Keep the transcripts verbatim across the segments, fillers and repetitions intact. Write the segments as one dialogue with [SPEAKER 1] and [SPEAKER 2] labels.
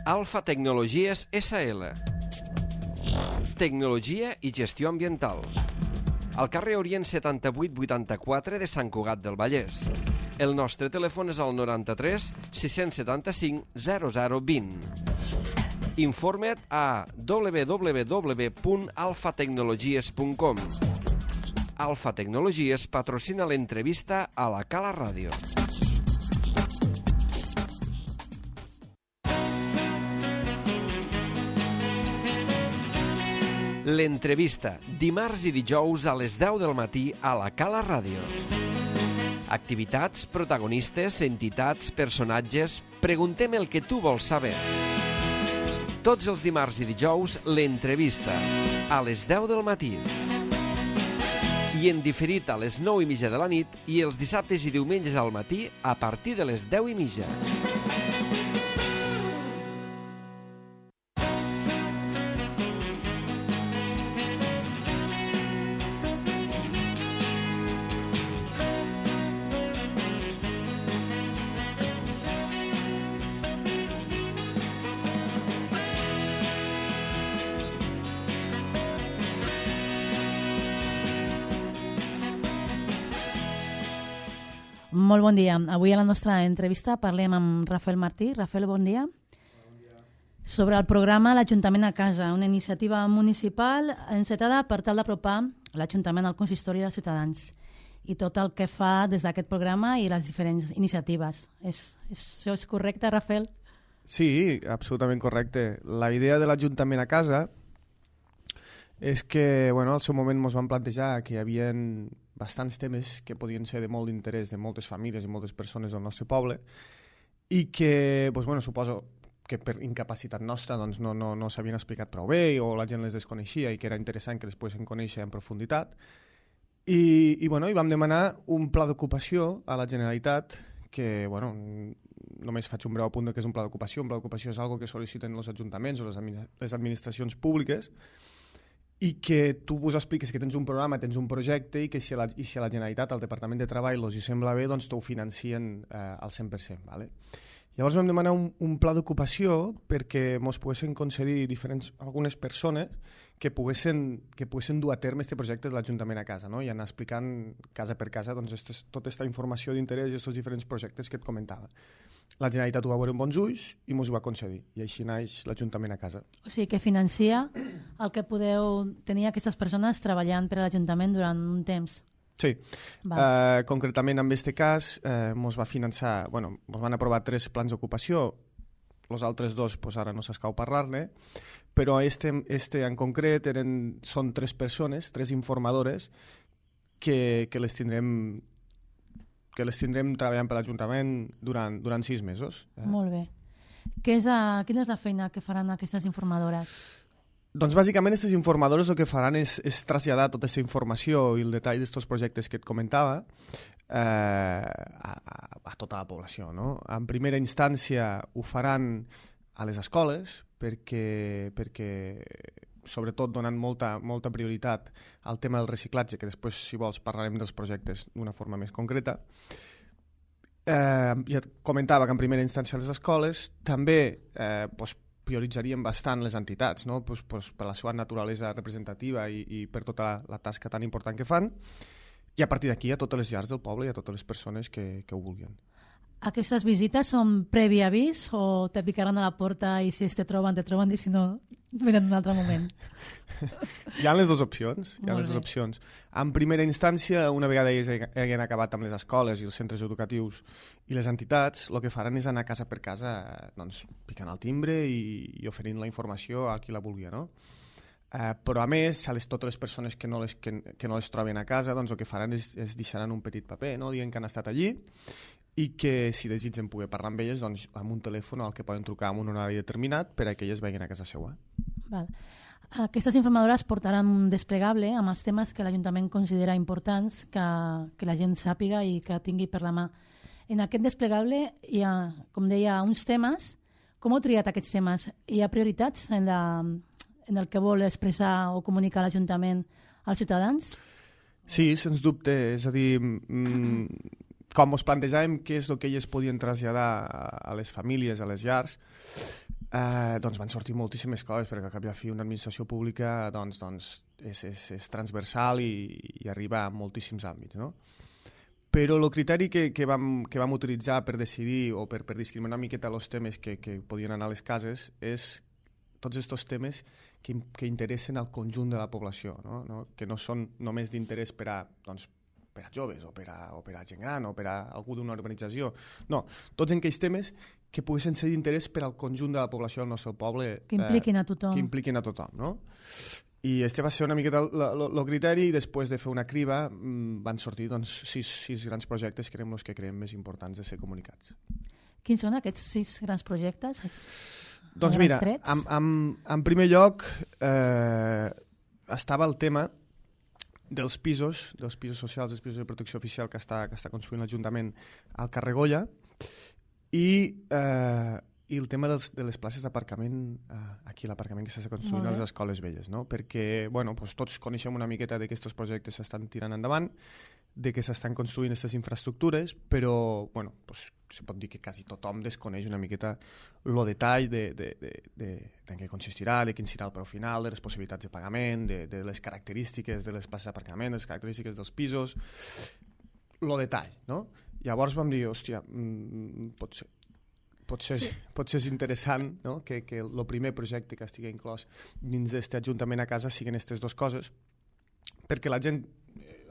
[SPEAKER 1] Alfa Tecnologies essa ele. Tecnologia i gestió ambiental. Al carrer Orient setanta-vuit vuitanta-quatre de Sant Cugat del Vallès. El nostre telèfon és el noranta-tres sis setanta-cinc zero zero vint. Informa't a w w w punt alfa tecnologies punt com. Alfa Tecnologies patrocina l'entrevista a la Cala Ràdio. L'entrevista, dimarts i dijous a les deu del matí a la Cala Ràdio. Activitats, protagonistes, entitats, personatges... Preguntem el que tu vols saber. Tots els dimarts i dijous, l'entrevista, a les deu del matí. I en diferit a les nou i mitja de la nit i els dissabtes i diumenges al matí a partir de les deu i mitja.
[SPEAKER 2] Molt bon dia. Avui a la nostra entrevista parlem amb Rafael Martí. Rafael, bon dia. Bon dia. Sobre el programa L'Ajuntament a casa, una iniciativa municipal encetada per tal d'apropar l'Ajuntament al consistori dels ciutadans i tot el que fa des d'aquest programa i les diferents iniciatives. És, és, això és correcte, Rafael?
[SPEAKER 3] Sí, absolutament correcte. La idea de l'Ajuntament a casa és que, bueno, al seu moment ens vam plantejar que hi havia bastants temes que podien ser de molt d'interès de moltes famílies i moltes persones del nostre poble i que, doncs, bueno, suposo que per incapacitat nostra doncs, no, no, no s'havien explicat prou bé o la gent les desconeixia i que era interessant que les poguessin conèixer en profunditat. I, i, bueno, i vam demanar un pla d'ocupació a la Generalitat que, bueno, només faig un breu apunt de què és un pla d'ocupació. Un pla d'ocupació és una cosa que sol·liciten els ajuntaments o les administracions públiques i que tu vos expliques que tens un programa, tens un projecte i que si a la, i si a la Generalitat, al Departament de Treball, els hi sembla bé, doncs t'ho financien eh, al cent per cent. Vale? Llavors vam demanar un, un pla d'ocupació perquè ens poguessin concedir diferents, algunes persones que poguessin, que poguessin dur a terme aquest projecte de l'Ajuntament a casa, no? I anar explicant casa per casa doncs, estes, tota aquesta informació d'interès i aquests diferents projectes que et comentava. La Generalitat ho va veure amb bons ulls i ens ho va concedir. I així naix l'Ajuntament a casa.
[SPEAKER 2] O sigui, que financia el que podeu tenir aquestes persones treballant per a l'Ajuntament durant un temps.
[SPEAKER 3] Sí. Uh, concretament, en aquest cas, eh, ens va finançar... Bueno, ens van aprovar tres plans d'ocupació. Els altres dos, pues, ara no s'escau parlar-ne. Però este, este en concret eren, són tres persones, tres informadores, que, que les tindrem... que les tindrem treballant per l'Ajuntament durant, durant sis mesos.
[SPEAKER 2] Eh? Molt bé. Què és a, quina és la feina que faran aquestes informadores?
[SPEAKER 3] Doncs bàsicament aquestes informadores el que faran és, és traslladar tota aquesta informació i el detall d'aquests projectes que et comentava eh, a, a, a tota la població. No? En primera instància ho faran a les escoles perquè, perquè sobretot donant molta, molta prioritat al tema del reciclatge, que després, si vols, parlarem dels projectes d'una forma més concreta. Eh, ja comentava que en primera instància les escoles també eh, pues, prioritzaríem bastant les entitats, no? pues, pues, per la seva naturalesa representativa i, i per tota la, la tasca tan important que fan, i a partir d'aquí a totes les llars del poble i a totes les persones que, que ho vulguin.
[SPEAKER 2] Aquestes visites són previ avís o te picaran a la porta i si te troben, te troben i si no, venen un altre moment?
[SPEAKER 3] Hi ha les dues opcions. Hi ha les dues opcions. En primera instància, una vegada ells hagin acabat amb les escoles i els centres educatius i les entitats, el que faran és anar casa per casa doncs, picant el timbre i, i oferint la informació a qui la vulgui, no? Uh, però a més, a les, totes les persones que no les, que, que no les troben a casa, doncs el que faran és, és deixaran un petit paper, no? Dient que han estat allí i que si desitgen poder parlar amb elles doncs, amb un telèfon al que poden trucar en un horari determinat per a que elles vegin a casa seva.
[SPEAKER 2] Val. Aquestes informadores portaran un desplegable amb els temes que l'Ajuntament considera importants que, que la gent sàpiga i que tingui per la mà. En aquest desplegable hi ha, com deia, uns temes. Com heu triat aquests temes? Hi ha prioritats en, la, en el que vol expressar o comunicar l'Ajuntament als ciutadans?
[SPEAKER 3] Sí, sens dubte. És a dir, mm, com ens plantejàvem què és el que elles podien traslladar a les famílies, a les llars, eh, doncs van sortir moltíssimes coses, perquè al cap i a fi una administració pública doncs, doncs és, és, és transversal i, i arriba a moltíssims àmbits, no? Però el criteri que, que, vam, que vam utilitzar per decidir o per, per discriminar una miqueta els temes que, que podien anar a les cases és tots aquests temes que, que interessen al conjunt de la població, no? No? Que no són només d'interès per a, doncs, per a joves o per a, o per a gent gran o per a algú d'una urbanització. No, tots aquells temes que poguessin ser d'interès per al conjunt de la població del nostre poble.
[SPEAKER 2] Que impliquin a tothom.
[SPEAKER 3] Eh, que impliquin a tothom, no? I este va ser una miqueta el criteri i després de fer una criba van sortir doncs, sis, sis grans projectes que eren els que creiem més importants de ser comunicats.
[SPEAKER 2] Quins són aquests sis grans projectes?
[SPEAKER 3] Doncs mira, en, en, en primer lloc eh, estava el tema dels pisos, dels pisos socials, dels pisos de protecció oficial que està, que està construint l'Ajuntament al carrer Goya i... Eh, i el tema dels, de les places d'aparcament eh, aquí, l'aparcament que s'està construint a les escoles velles, no? Perquè bueno, doncs tots coneixem una miqueta de que aquests projectes s'estan tirant endavant, de que s'estan construint aquestes infraestructures, però bueno, doncs, se pot dir que quasi tothom desconeix una miqueta el detall de, de, de, de, de què consistirà, de quin serà el preu final, de les possibilitats de pagament, de, de les característiques de les places d'aparcament, les característiques dels pisos, el detall, no? Llavors vam dir, hòstia, mm, pot ser Potser, sí. potser és interessant, no? que, que el primer projecte que estigui inclòs dins d'aquest Ajuntament a casa siguin aquestes dues coses, perquè la gent,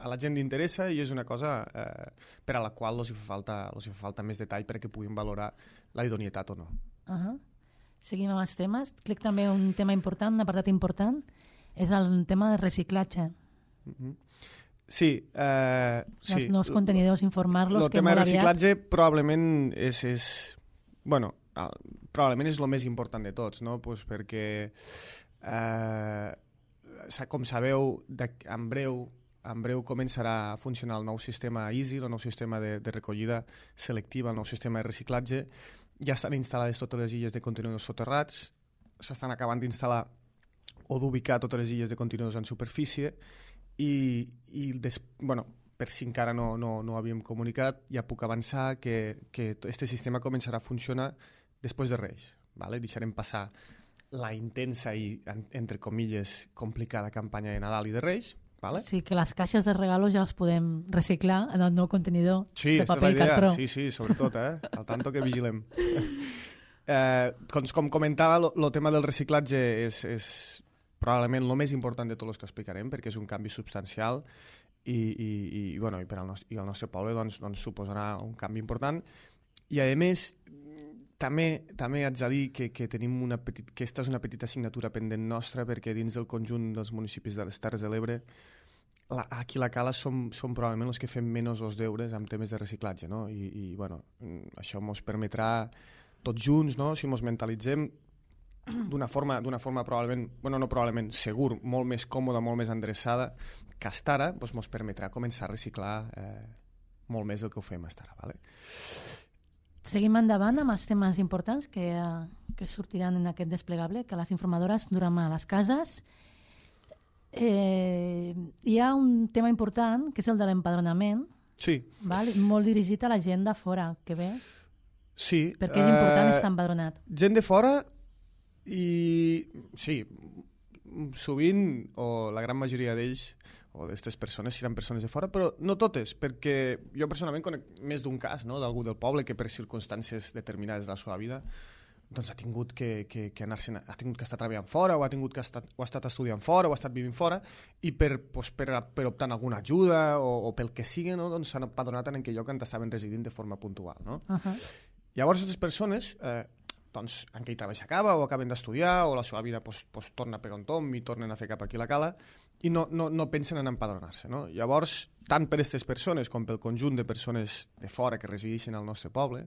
[SPEAKER 3] a la gent li interessa i és una cosa eh, per a la qual els hi fa falta, els hi fa falta més detall perquè puguin valorar la idoneïtat o no.
[SPEAKER 2] Uh-huh. Seguim amb els temes. Crec també un tema important, un apartat important, és el tema del reciclatge.
[SPEAKER 3] Uh-huh. Sí. Eh,
[SPEAKER 2] els
[SPEAKER 3] sí.
[SPEAKER 2] nous contenidors, informar-los.
[SPEAKER 3] El tema de reciclatge aviat... probablement és... és bueno, probablement és el més important de tots, no? Pues perquè, eh, com sabeu, en breu, en breu començarà a funcionar el nou sistema Easy, el nou sistema de, de recollida selectiva, el nou sistema de reciclatge. Ja estan instal·lades totes les illes de contenidors soterrats, s'estan acabant d'instal·lar o d'ubicar totes les illes de contenidors en superfície i, i des, bueno, per si encara no, no, no havíem comunicat, ja puc avançar que aquest sistema començarà a funcionar després de Reis. Vale? Deixarem passar la intensa i, entre comilles, complicada campanya de Nadal i de Reis. Vale?
[SPEAKER 2] Sí, que les caixes de regalos ja les podem reciclar en el nou contenidor
[SPEAKER 3] sí,
[SPEAKER 2] de paper i cartró.
[SPEAKER 3] Sí, sí, sobretot, eh? Al tanto que vigilem. eh, com, com comentava, el tema del reciclatge és, és probablement el més important de tots els que explicarem, perquè és un canvi substancial i, i, i, bueno, i per al nostre, i el nostre poble doncs, doncs, suposarà un canvi important i a més també, també haig de dir que, que, tenim una petit, que aquesta és una petita assignatura pendent nostra perquè dins del conjunt dels municipis de les Terres de l'Ebre la, aquí a la Cala som, som probablement els que fem menys els deures amb temes de reciclatge, no? I, i bueno, això ens permetrà tots junts, no? Si ens mentalitzem d'una forma, d'una forma probablement, bueno, no probablement, segur, molt més còmoda, molt més endreçada que hasta ara, doncs ens permetrà començar a reciclar eh, molt més del que ho fem hasta ara. Vale?
[SPEAKER 2] Seguim endavant amb els temes importants que, uh, que sortiran en aquest desplegable, que les informadores duran a les cases. Eh, hi ha un tema important, que és el de l'empadronament,
[SPEAKER 3] sí.
[SPEAKER 2] Val? Molt dirigit a la gent de fora, que bé.
[SPEAKER 3] Sí.
[SPEAKER 2] Perquè és important uh, estar empadronat.
[SPEAKER 3] Gent de fora i sí, sovint, o la gran majoria d'ells, o d'aquestes persones seran persones de fora, però no totes, perquè jo personalment conec més d'un cas, no?, d'algú del poble que per circumstàncies determinades de la seva vida doncs ha tingut que, que, que anar-se'n, ha tingut que estar treballant fora, o ha tingut que estar, o ha estat estudiant fora, o ha estat vivint fora, i per, doncs, per, per optar alguna ajuda o, o pel que sigui, no?, doncs s'han empadronat en aquell lloc on estaven residint de forma puntual, no? Uh-huh. Llavors, aquestes persones, eh, doncs, en aquell treball s'acaba, o acaben d'estudiar, o la seva vida pues, pues, torna per on tom i tornen a fer cap aquí la Cala, i no, no, no pensen en empadronar-se, no? Llavors, tant per aquestes persones com pel conjunt de persones de fora que resideixen al nostre poble,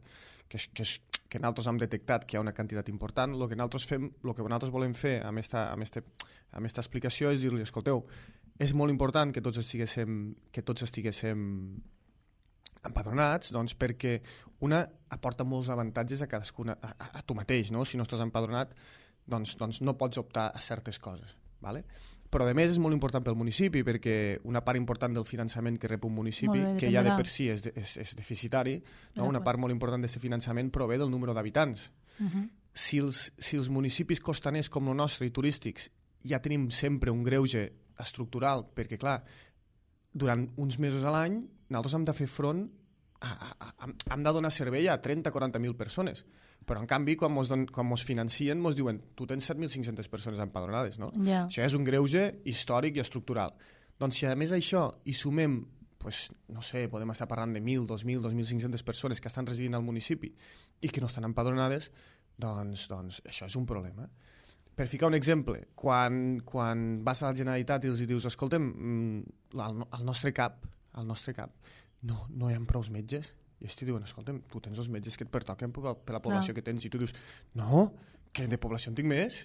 [SPEAKER 3] que, que, que nosaltres hem detectat que hi ha una quantitat important, el que nosaltres fem, el que nosaltres volem fer amb esta, amb este, amb esta explicació és dir-li, escolteu, és molt important que tots estiguéssim, que tots estiguéssim empadronats, doncs, perquè una aporta molts avantatges a cadascuna, a, a, a tu mateix, no? Si no estàs empadronat, doncs, doncs no pots optar a certes coses, ¿vale? Però a més és molt important pel municipi, perquè una part important del finançament que rep un municipi, bé, que ja de per si és, de, és, és deficitari, no? Una part molt important d'aquest finançament prové del número d'habitants. Uh-huh. si els, si els municipis costaners com el nostre i turístics ja tenim sempre un greuge estructural, perquè clar, durant uns mesos a l'any nosaltres hem de fer front, a, a, a, hem de donar servei a trenta a quaranta mil persones, però en canvi quan mos, don, quan mos financien mos diuen tu tens set mil cinc-centes persones empadronades, no?
[SPEAKER 2] Yeah.
[SPEAKER 3] Això és un greuge històric i estructural. Doncs si a més això hi sumem, pues, no sé, podem estar parlant de mil, dos mil, dos mil cinc-centes persones que estan residint al municipi i que no estan empadronades, doncs, doncs això és un problema. Per ficar un exemple, quan, quan vas a la Generalitat i els dius, escolta'm, al, al nostre cap, al nostre cap, no, no hi ha prou metges, i ells t'hi diuen, escolta'm, tu tens els metges que et pertoquen per la, per la població no. que tens, i tu dius, no, que de població en tinc més,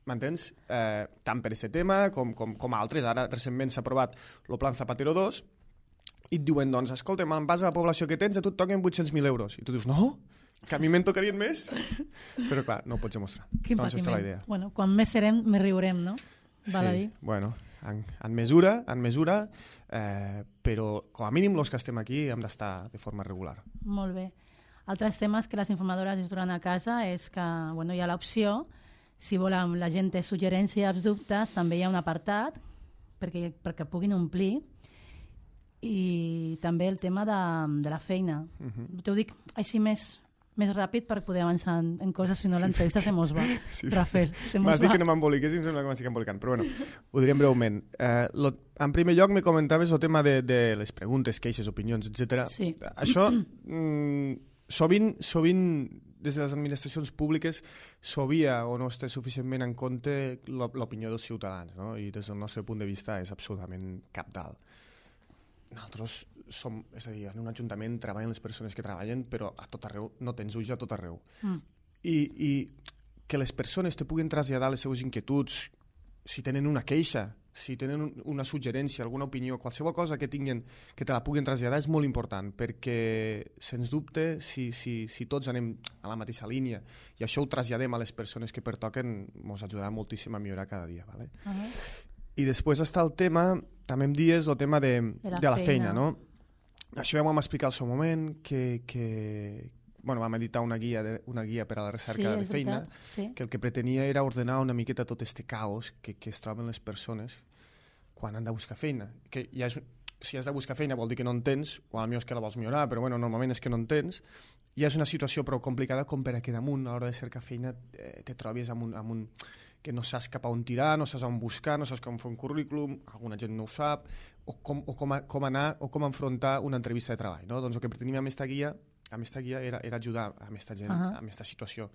[SPEAKER 3] m'entens? Eh, tant per aquest tema com, com, com altres. Ara recentment s'ha aprovat el Plan Zapatero dos i et diuen, doncs, escolta'm, en base a la població que tens, a tu et toquen vuit-cents mil euros. I tu dius, no, que a mi me'n tocarien més? Però clar, no ho pots demostrar.
[SPEAKER 2] Quin
[SPEAKER 3] doncs
[SPEAKER 2] patiment.
[SPEAKER 3] La idea.
[SPEAKER 2] Bueno, quan més serem, més riurem, no? Val a dir.
[SPEAKER 3] Sí, bueno, en, en mesura, en mesura, eh, però com a mínim els que estem aquí hem d'estar de forma regular.
[SPEAKER 2] Molt bé. Altres temes que les informadores es duran a casa és que bueno, hi ha l'opció, si volen la gent té suggerències, dubtes, també hi ha un apartat perquè, perquè puguin omplir, i també el tema de, de la feina. Uh-huh. T'ho dic així més, més ràpid per poder avançar en, en coses, si no sí. l'entrevista se mos va. Sí. Rafael, se mos va.
[SPEAKER 3] M'has dit que no m'emboliqués i em sembla que m'estic embolicant, però bueno, ho direm breument. Eh, lo, en primer lloc me comentaves el tema de, de les preguntes, queixes, opinions, etcètera.
[SPEAKER 2] Sí.
[SPEAKER 3] Això, mm, sovint, sovint, des de les administracions públiques, s'obvia o no es té suficientment en compte l'opinió dels ciutadans, no? I des del nostre punt de vista és absolutament cabdal. Nosaltres som, és a dir, en un ajuntament treballen les persones que treballen, però a tot arreu, no tens ulls a tot arreu. Mm. I, I que les persones te puguin traslladar les seues inquietuds, si tenen una queixa, si tenen una suggerència, alguna opinió, qualsevol cosa que tinguin, que te la puguin traslladar és molt important, perquè, sens dubte, si, si, si tots anem a la mateixa línia i això ho traslladem a les persones que pertoquen, ens ajudarà moltíssim a millorar cada dia. ¿Vale? Uh-huh. I després està el tema, també em dies, el tema de, de, la, de la feina, feina, no? Això ja ho vam explicar al seu moment, que, que bueno, vam editar una guia, de, una guia per a la recerca sí, de feina, sí. que el que pretenia era ordenar una miqueta tot este caos que, que es troben les persones quan han de buscar feina. Que ja és, si has de buscar feina vol dir que no en tens, o potser és que la vols millorar, però bueno, normalment és que no en tens, i és una situació prou complicada com per a que damunt, a l'hora de cercar feina, eh, te trobis amb un, amb un que no saps cap a on tirar, no saps on buscar, no saps com fer un currículum, alguna gent no ho sap, o com, o com, a, com anar o com enfrontar una entrevista de treball. No? Doncs el que preteníem amb aquesta guia, amb aquesta guia era, era ajudar a aquesta gent, uh-huh. a aquesta situació.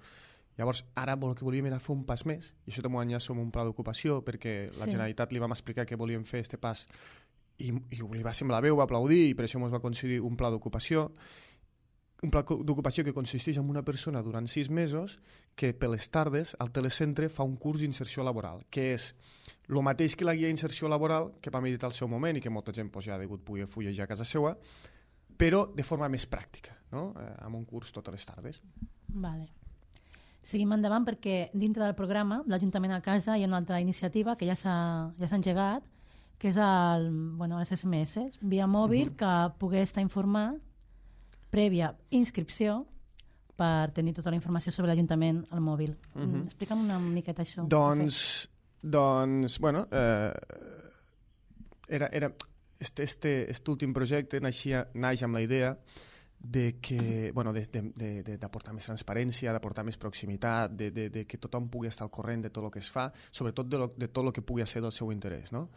[SPEAKER 3] Llavors, ara el que volíem era fer un pas més, i això també ho enllaço amb un pla d'ocupació, perquè la sí. Generalitat li vam explicar que volíem fer este pas, i, i li va semblar bé, ho va aplaudir, i per això ens va concedir un pla d'ocupació, un pla d'ocupació que consisteix en una persona durant sis mesos que per les tardes al telecentre fa un curs d'inserció laboral, que és el mateix que la guia d'inserció laboral que vam editar al seu moment i que molta gent pues, ja ha degut poder fullejar a casa seva, però de forma més pràctica, no? eh, amb un curs totes les tardes.
[SPEAKER 2] Vale. Seguim endavant perquè dintre del programa l'Ajuntament a Casa hi ha una altra iniciativa que ja s'ha ja s'ha engegat, que és el, bueno, les S M S, via mòbil, uh-huh. que pugui estar informat prèvia inscripció per tenir tota la informació sobre l'Ajuntament al mòbil. Uh-huh. Explica'm una miqueta això.
[SPEAKER 3] Doncs, doncs bueno, eh, era, era este, este, este últim projecte naixia, naix amb la idea de que, bueno, d'aportar més transparència, d'aportar més proximitat, de, de, de que tothom pugui estar al corrent de tot el que es fa, sobretot de, lo, de tot el que pugui ser del seu interès, no?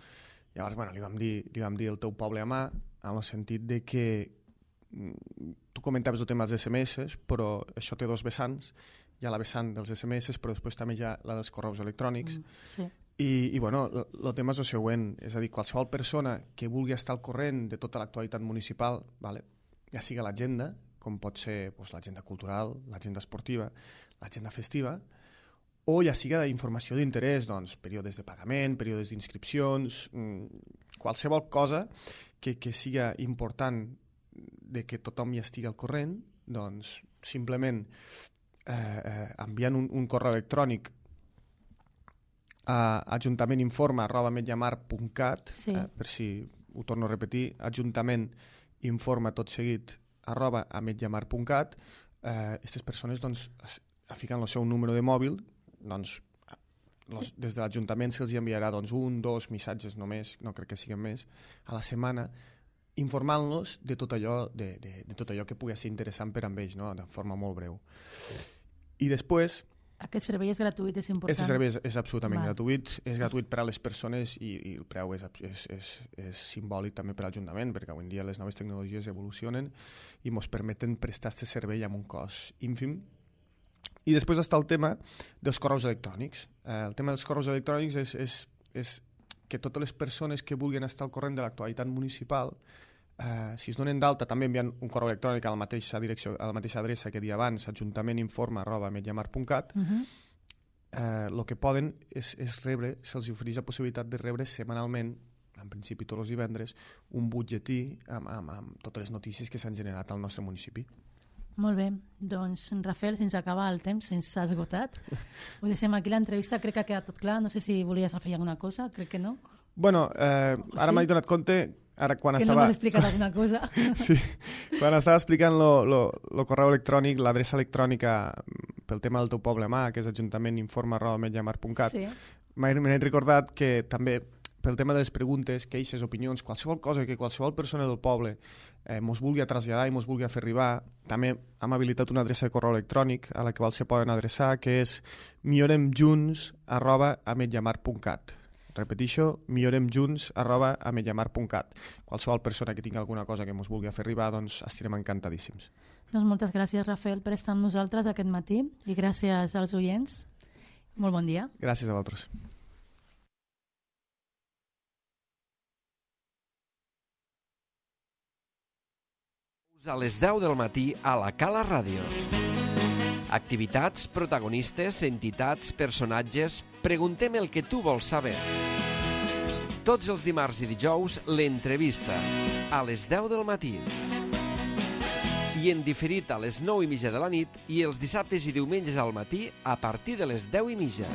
[SPEAKER 3] Llavors, bueno, li vam dir, li vam dir el teu poble a mà, en el sentit de que tu comentaves el tema dels S M S, però això té dos vessants. Hi ha la vessant dels S M S, però després també hi ha la dels correus electrònics. Mm, sí. I, i bueno, el tema és el següent, és a dir, qualsevol persona que vulgui estar al corrent de tota l'actualitat municipal, vale? Ja sigui l'agenda, com pot ser doncs, l'agenda cultural, l'agenda esportiva, l'agenda festiva, o ja sigui d'informació d'interès, doncs, períodes de pagament, períodes d'inscripcions, qualsevol cosa que, que siga important de que tothom hi estigui al corrent, doncs simplement eh, eh, enviant un, un correu electrònic a ajuntamentinforma arroba mediamar punt cat, sí. eh, per si ho torno a repetir, ajuntamentinforma tot seguit arroba a mediamar punt cat, aquestes eh, persones doncs, ficant el seu número de mòbil, doncs los, des de l'Ajuntament se'ls enviarà doncs, un, dos missatges només, no crec que siguin més, a la setmana, informant-los de tot allò de, de, de tot allò que pugui ser interessant per a ells, no? De forma molt breu. I després...
[SPEAKER 2] Aquest servei és gratuït, és important.
[SPEAKER 3] Aquest servei és, és absolutament
[SPEAKER 2] Val.
[SPEAKER 3] gratuït, és gratuït per a les persones i, i el preu és, és, és, és simbòlic també per a l'Ajuntament, perquè avui en dia les noves tecnologies evolucionen i ens permeten prestar aquest servei amb un cost ínfim. I després està el tema dels correus electrònics. Eh, el tema dels correus electrònics és, és, és que totes les persones que vulguin estar al corrent de l'actualitat municipal, eh, si es donen d'alta, també envien un correu electrònic a la mateixa direcció, a la mateixa adreça que dia abans, ajuntamentinforma arroba ametlllamar punt cat. El uh-huh. eh, que poden és, és rebre, se'ls ofereix la possibilitat de rebre setmanalment, en principi tots els divendres, un butlletí amb, amb, amb totes les notícies que s'han generat al nostre municipi.
[SPEAKER 2] Molt bé, doncs Rafael, sense acabar el temps, se'ns ha esgotat. Ho deixem aquí l'entrevista, crec que ha quedat tot clar, no sé si volies afegir alguna cosa, crec que no.
[SPEAKER 3] Bueno, eh, ara sí? m'he donat compte, ara quan
[SPEAKER 2] que
[SPEAKER 3] estava...
[SPEAKER 2] Que no m'has explicat alguna cosa.
[SPEAKER 3] Sí, quan estava explicant el correu electrònic, l'adreça electrònica pel tema del teu poble mà, que és ajuntamentinforma arroba ametlllamar punt cat, sí. m'he recordat que també pel tema de les preguntes, queixes, opinions, qualsevol cosa que qualsevol persona del poble eh, mos vulgui traslladar i mos vulgui fer arribar, també hem habilitat una adreça de correu electrònic a la qual se poden adreçar, que és milloremjunts arroba ametlllamar punt cat. Repeteixo, milloremjunts arroba ametlllamar punt cat. Qualsevol persona que tingui alguna cosa que mos vulgui fer arribar, doncs estarem encantadíssims.
[SPEAKER 2] Doncs moltes gràcies, Rafael, per estar amb nosaltres aquest matí i gràcies als oients. Molt bon dia.
[SPEAKER 3] Gràcies a vosaltres.
[SPEAKER 1] A les deu del matí a la Cala Ràdio. Activitats, protagonistes, entitats, personatges... Preguntem el que tu vols saber. Tots els dimarts i dijous, l'entrevista. A les deu del matí. I en diferit a les nou i mitja de la nit i els dissabtes i diumenges al matí a partir de les deu i mitja.